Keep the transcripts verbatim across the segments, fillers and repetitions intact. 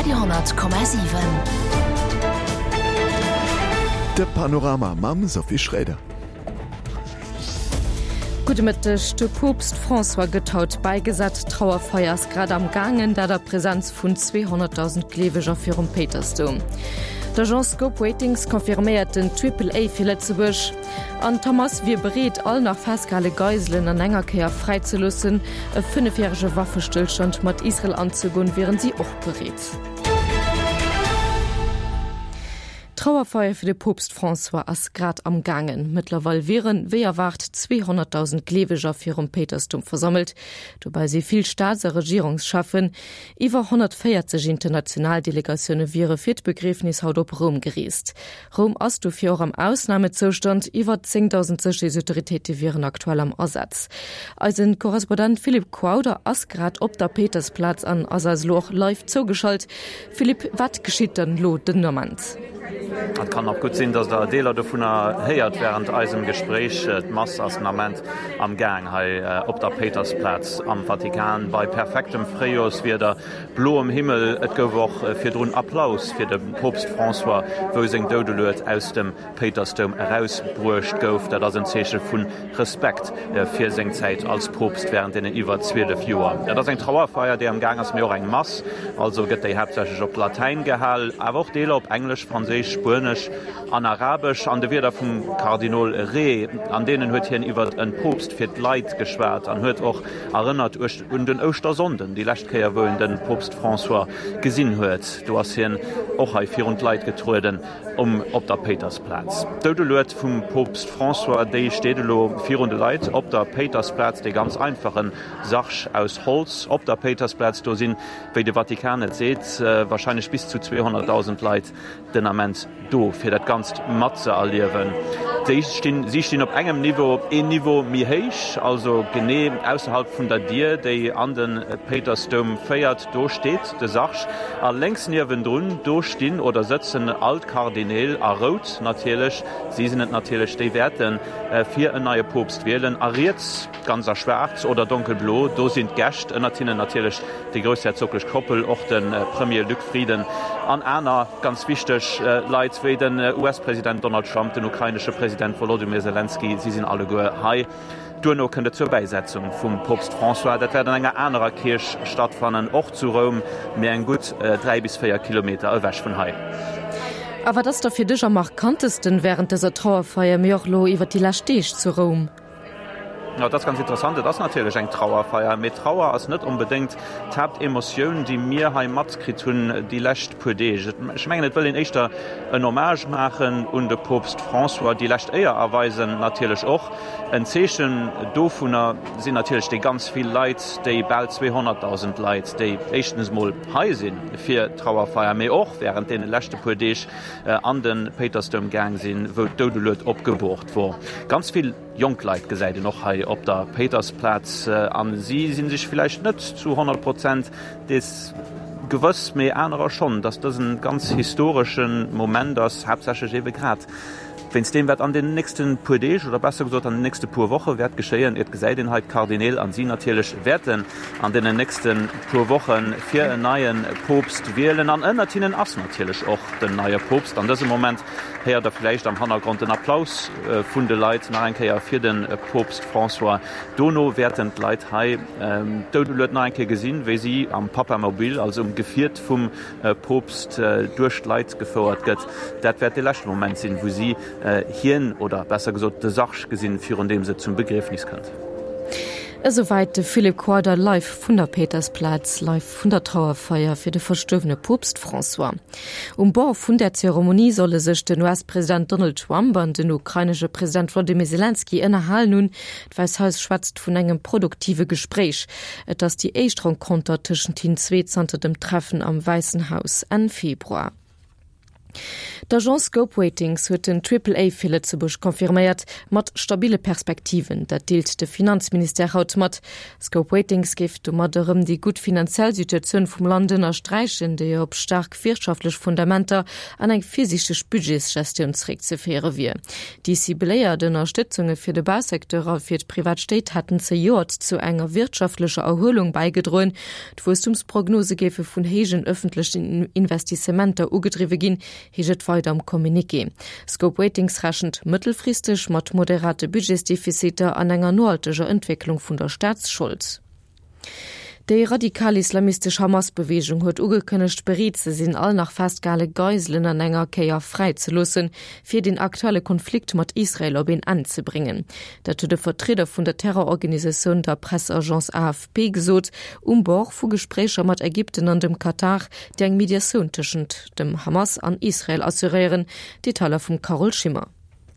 Radio honnert Komma siwen. De Panorama mam Sophie Schroeder. Gudde Mëtteg, De Poopst François gëtt haut bäigesat. D'Trauerfeier ass grad am gaangen, dat a Presenz vun zweehonnertdausend Gleeweger virum Péitersdoum. D'Agence Scope Ratings confirméiert den Triple A fir Lëtzebuerg. An d'Hamas wier bereet, all nach festgehale Geiselen an enger Kéier fräizeloossen. E fënnefjärege Waffestëllstand mat Israel anzegoen, wieren si och bereet. D'Trauerfeier fir de Poopst François ass grad am gaangen. Mëttlerweil wieren, wéi erwaart, zweehonnertdausend Gleeweger virum Péitersdoum versammelt. Dobäi si vill Staats a Regierungscheffen. Iwwer honnertvéierzeg international Delegatioune wiere fir d'Begriefnis haut op Roum gereest. Roum ass dofir och am Ausnamezoustand, iwwer zéngdausend Sécherheetsautoritéite wieren aktuell am Asaz. Eise Korrespondent Philippe Quouder ass grad op der Péitersplaz an ass eis elo och live zougeschalt. Philippe, wat geschitt dann elo den Ament? Et kann och gutt sinn, datt der Deeler dovunner héiert wärend eisem Gespréich. D'Mass ass den Ament am Gaang hei op der Péitersplaz am Vatikan bei perfektem Fréijorswieder, bloem Himmel. Et gouf och virdrun Applaus fir de Poopst François, wou seng Doudelued aus dem Péitersdoum erausbruecht gouf. Dat ass en Zeeche vu Respekt fir seng Zäit als Poopst wärend deenen iwwer zwielef Joer. Et ass eng Trauerfeier, déi am Gaang ass, mee och eng Mass. Also gëtt déi haaptsächlech op Latäin gehal, awer och Deeler op Englesch, Franséisch, Spuenesch an Arabesch. An de Wierder vum Kardinol Re, an deenen huet hien iwwer en Poopst fir d'Leit geschwat an huet och erënnert un den Ouschtersonnden, déi lescht Kéier wou en de Poopst François gesinn huet. Do ass hien och hei virun d'Leit getrueden um op der Péitersplaz. D'Doudelued vum Poopst François, déi steet elo virun de Leit op der Péitersplaz, dee ganz einfachen Sarg aus Holz op der Péitersplaz. Do sinn, wéi de Vatikan et seet, warscheinlech bis zu zweehonnertdausend Leit den Ament do, fir dat Ganzt matzeerliewen. Déi stinn, si stinn op engem Niveau, een Niveau méi héich, also genee ausserhalb vun der Dier, déi an de Péitersdoum féiert. Do steet de Sarg a lénks niewendrun, do stinn oder sëtzen all d'Kardineel, a rout natierlech, si sinn et natierlech, déi wäerte fir en neie Poopst wielen. A riets, ganz a schwaarz oder donkelblo, do sinn d'Gäscht, ënnert hinnen natierlech déi groussherzoglech Koppel, och de Premier Luc Frieden an aner ganz wichteg Leit wéi den U S-President Donald Trump, den ukrainesche President Wolodymyr Selenskyj, si sinn alleguer hei. Duerno kënnt et zur Bäisetzung vum Poopst François. Dat wäert an enger anerer Kierch stattfannen, och zu Roum, mee eng gutt dräi bis véier Kilometer ewech vun hei. A wat ass da fir dech am markantesten wärend dëser Trauerfeier, mee och elo iwwer déi lescht Deeg zu Roum? Jo, et ass ganz interessant. Et ass natierlech eng Trauerfeier, mee Trauer ass net onbedéngt d'Haaptemotioun, déi mir hei matkritt hunn déi lescht puer Deeg. Ech mengen, et wëll een éischter en Hommage maachen un de Poopst François, déi lescht Éier erweisen natierlech och. En Zeechen dovunner sinn natierlech déi ganz vill Leit, déi bal zweehonnertdausend Leit, déi éischtens emol hei si fir d'Trauerfeier, mee och wärend deene leschte puer Deeg an de Péitersdoum gaang sinn, wou d'Doudelued opgeboort wor. Ganz vill Jonk Leit gesäit een och hei op der Péitersplaz a si si sech villäicht net zu honnert Prozent dees gewëss, mee anerer schonn, datt dësen ganz historesche Moment ass, haaptsächlech eebe grad wéinst deem, wat an den nächste puer Deeg oder besser gesot an den nächste puer Woche wäert geschéien. Et gesäit een hei d'Kardineel an si natierlech wäerten an deenen nächste puer Woche fir en neie Poopst wielen an ënnert hinnen ass natierlech och den neie Poopst an dësem Moment. Héiert der vläicht am Hannergrond den Applaus vun de Leit nach eng Kéier fir de Poopst François. Dono wäerten d'Leit hei d'Doudelued nach eng Kéier gesinn, wéi si am Papamobil, also um Gefiert vum Poopst, duerch d'Leit gefouert gëtt. Dat wäert de leschte Moment sinn, wou si hien, oder besser gesot de Sarg gesinn, virun deem se zum Begriefnis kënnt. Esouwäit de Philippe Quader live vun der Péitersplaz, live vun der Trauerfeier fir de verstuerwene Poopst François. Um Bord vun där Zeremonie solle sech den U S-President Donald Trump an den ukrainesche President Wolodymyr Selenskyj ënnerhalen hunn. D'Wäisst Haus schwätzt vun engem produktive Gespréich. Et ass déi éischt Renconter tëschent hinnen zwee zanter dem Treffen am Wäissen Haus Enn Februar. D'Agence Scope Ratings huet den Triple A fir Lëtzebuerg confirméiert, mat stabille Perspektiven. Dat deelt de Finanzministère haut mat. Scope Ratings géif domat erëm déi gutt finanziell Situatioun vum Land ënnersträichen, déi op staark wirtschaftlech Fundamenter an eng virsiichteg Budgetsgestioun zeréckzeféiere wier. Déi cibléiert Ënnerstëtzunge fir de Bausecteur a fir d'privat Stéit hätten zejoert zu enger wirtschaftlecher Erhuelung bäigedroen. D'Wuesstumsprognose géife vun héijen ëffentlechen Investissementer ugedriwwe ginn, heescht et weider am Communiqué. Scope Ratings rechent mëttelfristeg mat moderate Budgetsdefiziter an enger nohalteger Entwécklung vun der Staatsschold. Déi radikal-islamistesch Hamas-Beweegung huet ugekënnegt, bereet ze sinn, all nach festgehale Geiselen an enger Kéier fräizeloossen, fir den aktuelle Konflikt mat Israel op een Enn ze bréngen. Dat huet e Vertrieder vun der Terrororganisatioun der Presseagence A F P gesot, um Bord vu Gespréicher mat Ägypten an dem Katar, déi eng Mediatioun tëschent dem Hamas an Israel assuréieren. Detailer vum Carole Schimmer.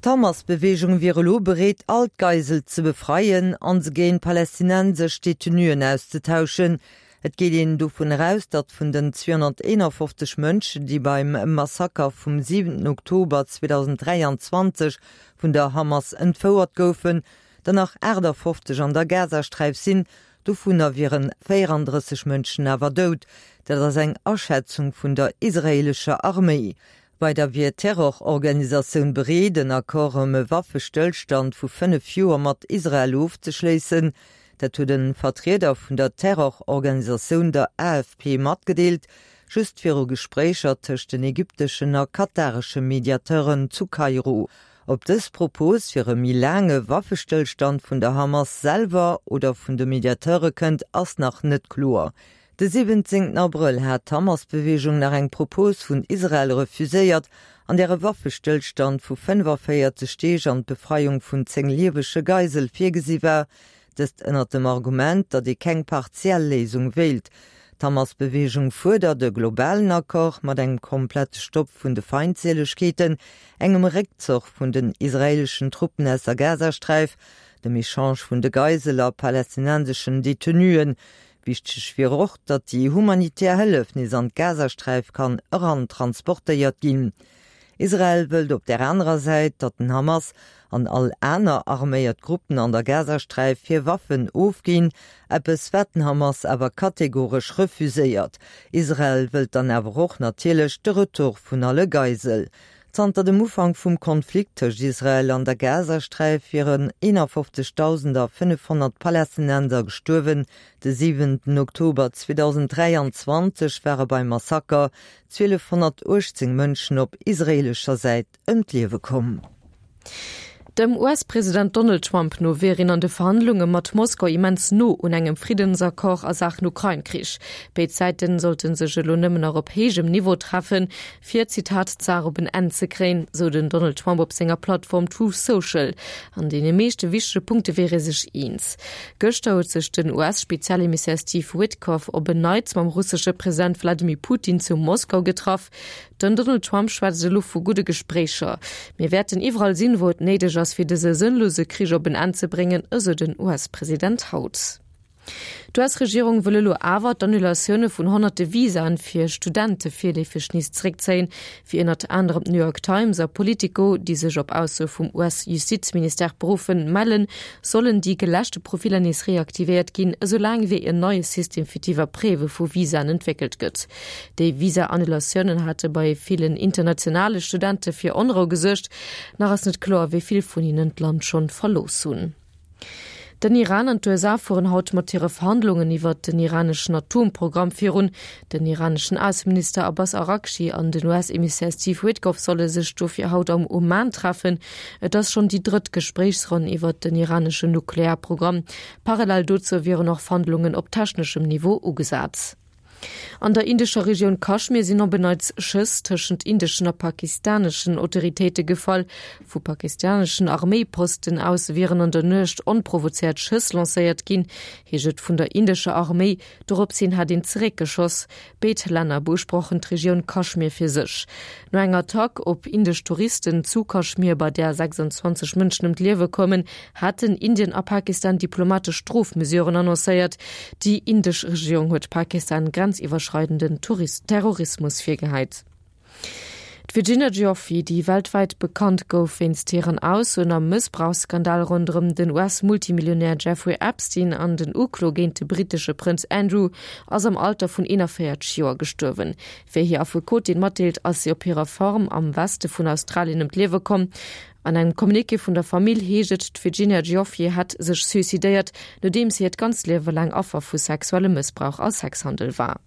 D'Hamas-Beweegung wier elo bereet, all d'Geisel ze befreien an se géint palästinensesch Detenuen auszetauschen. Et geet een dovun aus, datt vun den zweehonnerteenafofzeg Mënschen, déi beim Massaker vum siwenten Oktober zweedausenddräianzwanzeg vun der Hamas entfouert goufen, der nach aachtafofzeg an der Gazasträif sinn, dovunner wiere véierandrësseg Mënschen awer dout. Dat ass eng Aschätzung vun der israeelescher Arméi. Weider wier d'Terrororganisatioun bereet, en Accord ëm e Waffestëllstand vu fënnef Joer mat Israel ofzeschléissen. Dat huet e Vertrieder vun der Terrororganisatioun der A F P matgedeelt, just viru Gespréicher tëscht den ägypteschen a kataresche Mediateuren zu Kairo. Ob dës Propos fir e méi laange Waffestëllstand vun der Hamas selwer oder vun de Mediateure kënnt, ass nach net kloer. De siwwenzéngten Abrëll hat d'Hamas-Beweegung nach eng Propos vun Israel refuséiert, an där e Waffestëllstand vu fënnefavéierzeg Deeg an d'Befreiung vun zéng liewege Geisele virgesi war, dëst ënnert dem Argument, datt ee keng partiell Léisung wéilt. D'Hamas-Beweegung fuerdert e globalen Accord mat engem komplette Stopp vun de Feindséilegkeeten, engem Réckzuch vun den israeeleschen Truppen aus der Gazasträif, dem Echange vun de Geiselen a palästinenseschen Detenuen. Wichteg wier och, datt déi humanitär Hëllef nees an d'Gazasträif kann erantransportéiert ginn. Israel wëllt op der anerer Säit, datt den Hamas an all aner arméiert Gruppen an der Gazasträif hir Waffen ofginn, eppes wat den Hamas awer kategoresch refuséiert. Israel wëllt dann awer och natierlech de Retour vun alle Geiselen. Zanter dem Ufank vum Konflikt tëscht Israel an der Gazasträif wieren eenafofzegdausendfënnefhonnert Palästinenser gestuerwen. De siwenten Oktober zweedausenddräianzwanzeg ware beim Massaker zwielefhonnertuechtzéng Mënschen op israeelescher Säit ëm d'Liewe komm. Dem U S-President Donald Trump no wier een an de Verhandlunge mat Moskau immens no un engem Friddensaccord a Saachen Ukrain-Krich. Béid Säite sollte sech elo nëmmen nach op héijem Niveau treffen, fir Zitat d'Saach op en Enn ze kréien, sou den Donald Trump op senger Plattform Truth Social. An deene meeschte wichtege Punkte wier ee sech eens. Gëschter huet sech den U S-Spezialemissär Steve Witkoff op en Neits mam russesche President Wladimir Putin zu Moskau getraff. Den Donald Trump schwätzt elo vu gudde Gespréicher. Mir wäerten iwwerall sinn, wou et néideg ass, fir dëse sënnlose Krich op en Enn ze bréngen, esou den U S-President haut. D'U S-Regierung wëll elo awer d'Annulatioune vun honnerte Visaen fir Studente virleefeg nees zeréckzéien, wéi ënnert anerem d'New York Times a Politico, déi sech op Aussoe vum U S-Justizministère beruffen, mellen, sollen déi geläschte Profiller nees reaktivéiert ginn, esoulaang wéi en neie System fir d'Iwwerpréiwe vu Visaen entwéckelt gëtt. Déi Visa-Annulatiounen hate bei villen internationale Studente fir Onrou gesuergt. Nach ass net kloer, wéi vill vun hinnen d'Land schonn verlooss hunn. Den Iran an d'U S A fueren haut mat hire Verhandlungen iwwer den iraneschen Atomprogramm virun. Den iraneschen Ausseminister Abbas Araghchi an den U S-Emissär Steve Witkoff solle sech dofir haut am Oman treffen. Et ass schonn déi drëtt Gespréichsronn iwwer den iraneschen Nuklearprogramm. Parallel dozou wieren och Verhandlungen op techneschem Niveau ugesat. An der indescher Regioun Kaschmir sinn op en Neits Schëss tëschent indeschen a pakistaneschen Autoritéite gefall. Vu pakistaneschen Arméiposten aus wieren an der Nuecht onprovozéiert Schëss lancéiert ginn, heescht et vun der indescher Arméi. Dorops hin hätt een zeréckgeschoss. Béid Länner beusprochen d'Regioun Kaschmir fir sech. No enger Attack op indesch Touristen zu Kaschmir, bei där sechsanzwanzeg Mënschen ëm d'Liewe koumen, haten Indien a Pakistan diplomatesch Strofmesuren annoncéiert. Déi indesch Regierung huet Pakistan grenziwwerschreidenden Terrorismus virgehäit. D'Virginia Giuffre, déi weltwäit bekannt gouf wéinst hiren Aussoen am Mëssbrauchsskandal ronderëm den US-Multimillionär Jeffrey Epstein an den Uklo géint de brittesche Prënz Andrew, ass am Alter vun eenanvéierzeg Joer gestuerwen. Wéi hir Affekotin matdeelt, ass si op hirer Farm am Weste vun Australien ëm d'Liewe komm. An engem Communiqué vun der Famill heescht et, d'Virginia Giuffre hätt sech suicidéiert, nodeems si hiert ganzt Liewe laang Affer vu sexuellem Mëssbrauch a Sexhandel war.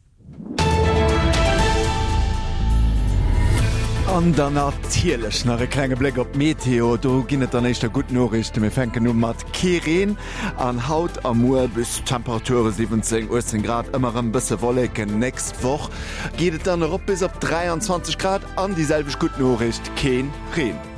An dann natierlech nach e klenge Bléck op d'Meteo. Do ginn et dann éischter gutt Noriichten. Mir fänken u mat kee Reen an haut a muer bis Temperature siwwenzéng, uechtzéng Grad, ëmmer erëm bësse Wolleken. Nächst Woch geet et dann erop bis op dräianzwanzeg Grad an déi selwecht gutt Noriicht, kee Reen.